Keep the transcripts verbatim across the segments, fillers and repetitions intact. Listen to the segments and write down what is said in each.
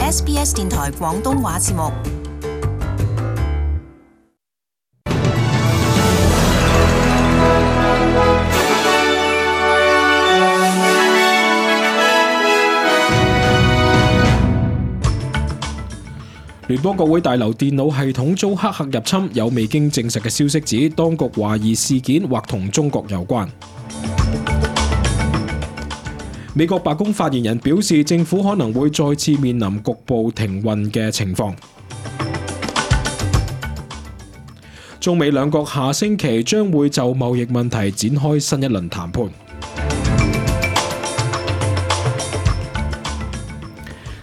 S B S 電台廣東話節目。聯邦國會大樓電腦系統遭黑客入侵，有未經證實嘅消息指，當局懷疑事件或同中國有關。美國白宮發言人表示，政府可能會再次面臨局部停運嘅情況。中美兩國下星期將會就貿易問題展開新一輪談判。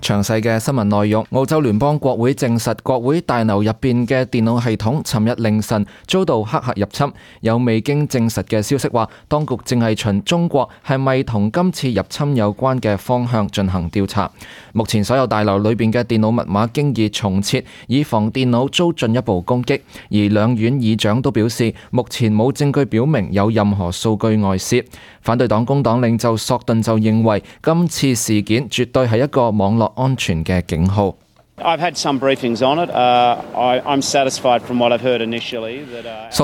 詳細嘅新聞內容，澳洲聯邦國會證實，國會大樓入邊嘅電腦系統尋日凌晨遭到黑客入侵。有未經證實嘅消息話，當局正係循中國係咪同今次入侵有關嘅方向進行調查。目前所有大樓裏邊嘅電腦密碼經已重設，以防電腦遭進一步攻擊。而兩院議長都表示，目前冇證據表明有任何數據外泄。反對黨工黨領袖索頓就認為，今次事件絕對係一個網絡安全嘅警號。索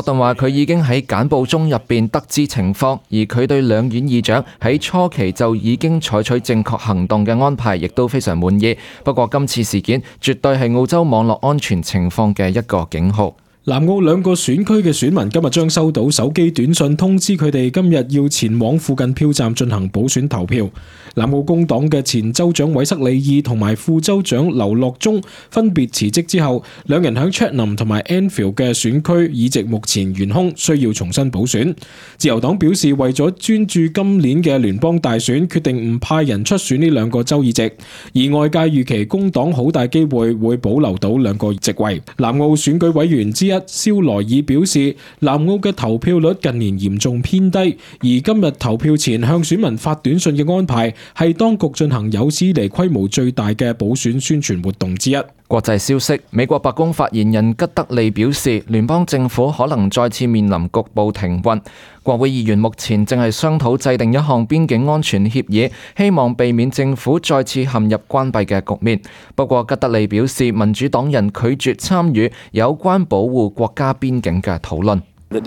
頓話佢已經喺簡報中入邊得知情況，而佢對兩院議長喺初期就已經採取正確行動嘅安排亦都非常滿意。不過今次事件絕對係澳洲網絡安全情況嘅一個警號。南澳兩個選區嘅選民今日將收到手機短信通知佢哋今日要前往附近票站進行補選投票。南澳工黨嘅前州長韋塞里爾同埋副州長劉樂忠分別辭職之後，兩人喺 Chatham 同埋 Enfield 嘅選區議席目前懸空，需要重新補選。自由黨表示為咗專注今年嘅聯邦大選，決定唔派人出選呢兩個州議席，而外界預期工黨好大機會會保留到兩個席位。南澳選舉委員之一蕭萊爾表示，南澳嘅投票率近年嚴重偏低，而今日投票前向選民發短信嘅安排係當局進行有史以嚟規模最大嘅補選宣傳活動之一。國際消息，美國白宮發言人吉德利表示，聯邦政府可能再次面臨局部停運。國會議員目前正係商討制定一項邊境安全協議，希望避免政府再次陷入關閉嘅局面。不過吉德利表示，民主黨人拒絕參與有關保護國家邊境嘅討論。吉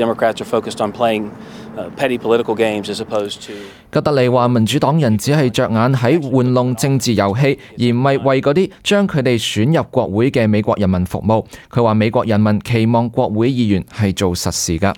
德利話，民主黨人只係着眼喺玩弄政治遊戲，而唔係為嗰啲將佢哋選入國會嘅美國人民服務。佢話美國人民期望國會議員係做實事㗎。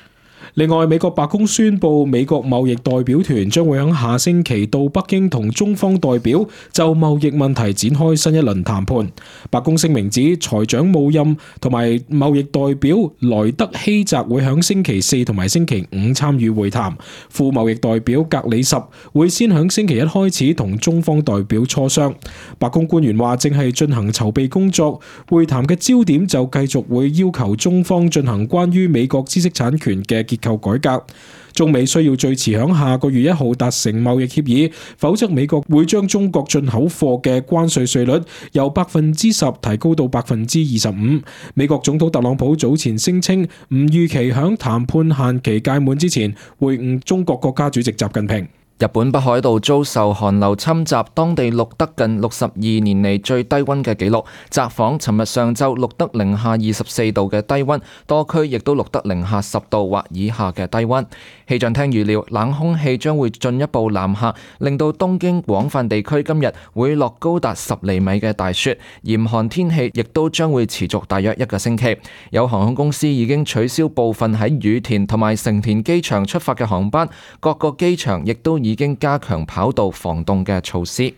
另外，美國白宮宣布，美國貿易代表團將會喺下星期到北京同中方代表就貿易問題展開新一輪談判。白宮聲明指，財長姆欽同埋貿易代表萊德希澤會喺星期四同埋星期五參與會談。副貿易代表格里什會先喺星期一開始同中方代表磋商。白宮官員話，正係進行籌備工作，會談嘅焦點就繼續會要求中方進行關於美國知識產權嘅結構改革。中美需要最遲響下個月一號達成貿易協議，否則美國會將中國進口貨嘅關稅稅率由百分之十提高到百分之二十五。美國總統特朗普早前聲稱唔預期響談判限期屆滿之前會晤中國國家主席習近平。日本北海道遭受寒流侵襲，當地錄得近六十二年嚟最低溫嘅紀錄。札幌尋日上晝錄得零下二十四度嘅低溫，多區亦都錄得零下十度或以下嘅低溫。氣象廳預料冷空氣將會進一步南下，令到東京廣泛地區今日會落高達十厘米嘅大雪，嚴寒天氣亦都將會持續大約一個星期。有航空公司已經取消部分喺羽田同埋成田機場出發嘅航班，各個機場亦都已經加強跑道防凍嘅措施。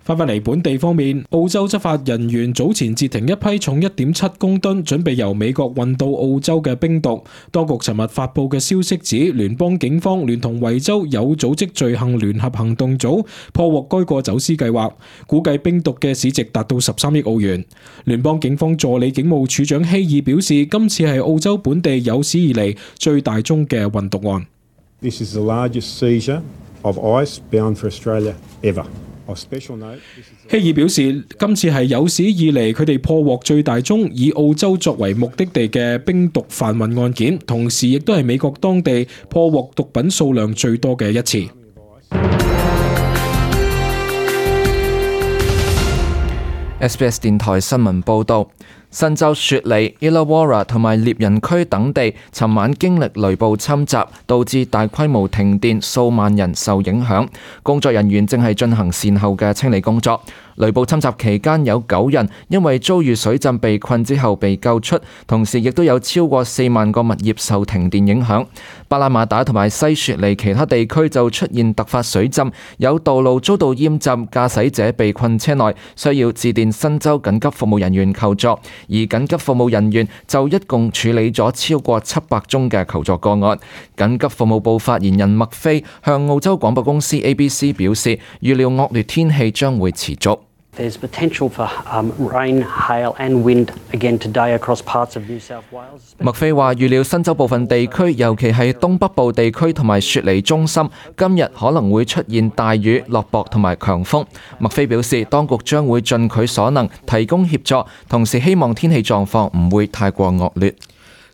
翻返嚟本地方面，澳洲執法人員早前截停一批重一點七公噸準備由美國運到澳洲嘅冰毒。當局尋日發布嘅消息指，聯邦警方聯同維州有組織罪行聯合行動組破獲該個走私計劃，估計冰毒嘅市值達到十三億澳元。聯邦警方助理警務處長希爾表示，今次係澳洲本地有史以嚟最大宗嘅運毒案。This is the largest seizure of ice bound for Australia ever.希爾表示，今次係有史以嚟佢哋破獲最大宗以澳洲作為目的地嘅冰毒販運案件，同時亦都係美國當地破獲毒品數量最多嘅一次。S B S 電台新聞報導。新州雪梨、Illawarra 同埋獵人區等地，尋晚經歷雷暴侵襲，導致大規模停電，數萬人受影響。工作人員正係進行善後嘅清理工作。雷暴侵襲期間有九人因為遭遇水浸被困之後被救出，同時亦都有超過四萬個物業受停電影響。巴拉馬打同埋西雪梨其他地區就出現突發水浸，有道路遭到淹浸，駕駛者被困車內，需要致電新州緊急服務人員求助。而緊急服務人員就一共處理咗超過七百宗嘅求助個案。緊急服務部發言人麥菲向澳洲廣播公司 A B C 表示，預料惡劣天氣將會持續。There's potential for um, rain, hail and wind again today across parts of New South Wales. 麥菲話預料新州部分地區，尤其係東北部地區同埋雪梨中心，今日可能會出現大雨、落雹同埋強風。麥菲表示，當局將會盡佢所能提供協助，同時希望天氣狀況唔會太過惡劣。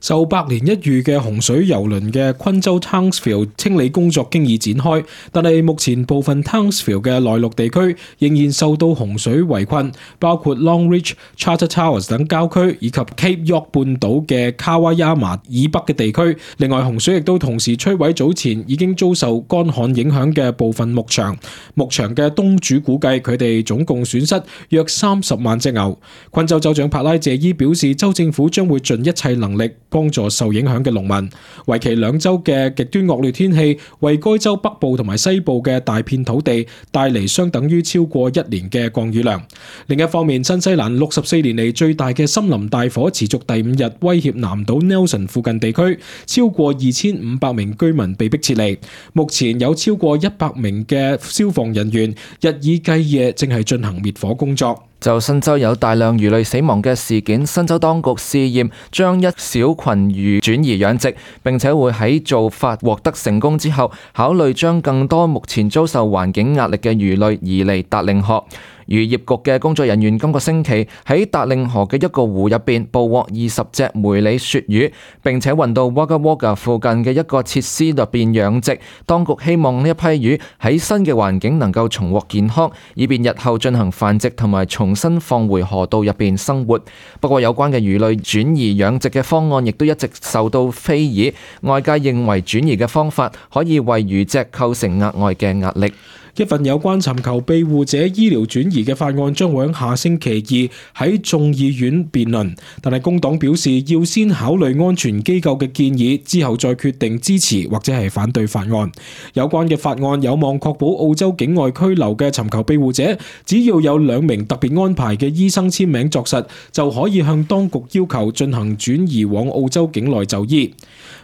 受百年一遇嘅洪水蹂躪嘅昆州 Townsville 清理工作經已展開，但係目前部分 Townsville 嘅內陸地區仍然受到洪水圍困，包括 Longreach、Charter Towers 等郊區，以及 Cape York 半島嘅卡瓦亞馬以北嘅地區。另外，洪水亦都同時摧毀早前已經遭受乾旱影響嘅部分牧場。牧場嘅東主估計佢哋總共損失約三十萬隻牛。昆州州長帕拉謝伊表示，州政府將會盡一切能力幫助受影響嘅農民。為期兩週嘅極端惡劣天氣為該州北部同埋西部嘅大片土地帶嚟相等於超過一年嘅降雨量。另一方面，新西蘭六十四年嚟最大嘅森林大火持續第五日，威脅南島 Nelson 附近地區，超過二千五百名居民被迫撤離。目前有超過一百名嘅消防人員日以繼夜正係進行滅火工作。就新州有大量魚類死亡嘅事件，新州當局試驗將一小群魚轉移養殖，並且會喺做法獲得成功之後，考慮將更多目前遭受環境壓力嘅魚類移離達令河。漁業局嘅工作人員今個星期喺達令河嘅一個湖入邊捕獲二十隻梅里鱈魚，並且運到 Wagga Wagga 附近嘅一個設施入邊養殖。當局希望呢一批魚喺新嘅環境能夠重獲健康，以便日後進行繁殖同埋重新放回河道入邊生活。不過有關嘅魚類轉移養殖嘅方案亦都一直受到非議，外界認為轉移嘅方法可以為魚隻構成額外嘅壓力。一份有關尋求庇護者醫療轉移嘅法案將會喺下星期二喺眾議院辯論，但係工黨表示要先考慮安全機構嘅建議，之後再決定支持或者係反對法案。有關嘅法案有望確保澳洲境外拘留嘅尋求庇護者，只要有兩名特別安排嘅醫生簽名作實，就可以向當局要求進行轉移往澳洲境內就醫。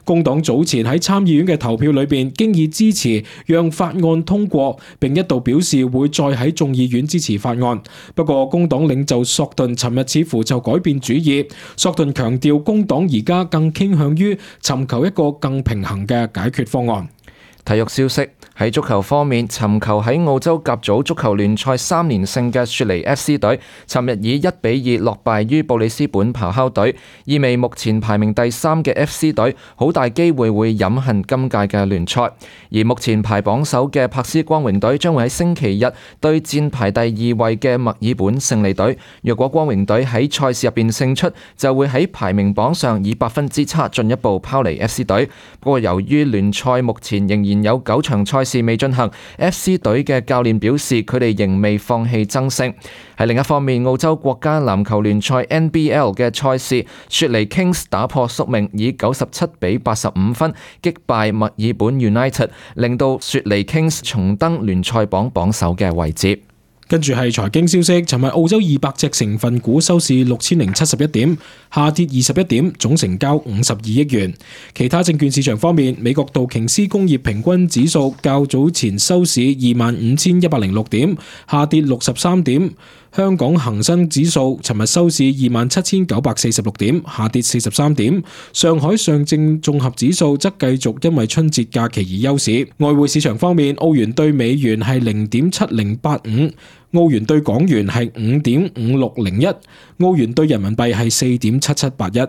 工黨早前喺參議院嘅投票裏邊，經已支持讓法案通過，並一度表示會再喺眾議院支持法案。不過，工黨領袖索頓尋日似乎就改變主意。索頓強調，工黨而家更傾向於尋求一個更平衡嘅解決方案。體育消息，喺足球方面，尋求喺澳洲甲組足球聯賽三連勝嘅雪梨 F C 隊，尋日以一比二落敗於布里斯本咆哮隊，意味目前排名第三嘅 F C 隊好大機會會飲恨今屆嘅聯賽。而目前排榜首嘅柏斯光榮隊將會喺星期日對戰排第二位嘅墨爾本勝利隊。若果光榮隊喺賽事入邊勝出，就會喺排名榜上以百分之差進一步拋離 F C 隊。不過由於聯賽目前仍然有九場賽事未進行， F C 隊嘅教練表示佢哋仍未放棄爭勝。喺另一方面，澳洲國家籃球聯賽 N B L 嘅賽事，雪梨 Kings 打破宿命，以九十七比八十五分擊敗墨爾本 United， 令到雪梨 Kings 重登聯賽榜榜首嘅位置。跟住係財經消息，尋日澳洲二百隻成分股收市六千零七十一點，下跌二十一點，總成交五十二億元。其他證券市場方面，美國道瓊斯工業平均指數較早前收市二萬五千一百零六點，下跌六十三點。香港恒生指數尋日收市二萬七千九百四十六點，下跌四十三點。上海上證綜合指數則繼續因為春節假期而休市。外匯市場方面，澳元對美元係零點七零八五，澳元對港元係五點五六零一，澳元對人民幣係四點七七八一。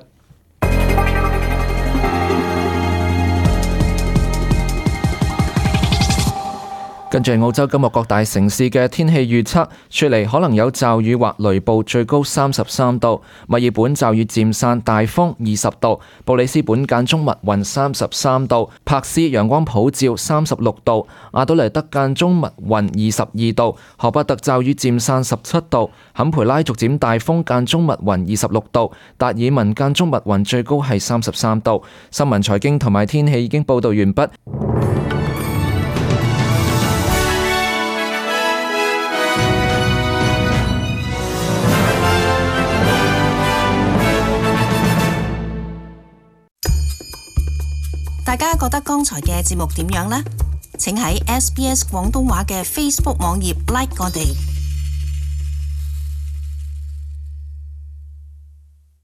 跟住澳洲今日各大城市嘅天氣預測，雪梨可能有驟雨或雷暴，最高三十三度；墨爾本驟雨漸散，大風二十度；布里斯本間中密雲三十三度；柏斯陽光普照三十六度；阿德萊德間中密雲二十二度；荷伯特驟雨漸散十七度；坎培拉逐漸大風間中密雲二十六度；達爾文間中密雲，最高係三十三度。新聞財經同埋天氣已經報道完畢。大家覺得剛才嘅節目點樣呢？請喺 S B S 廣東話嘅 Facebook 網頁 like 我哋。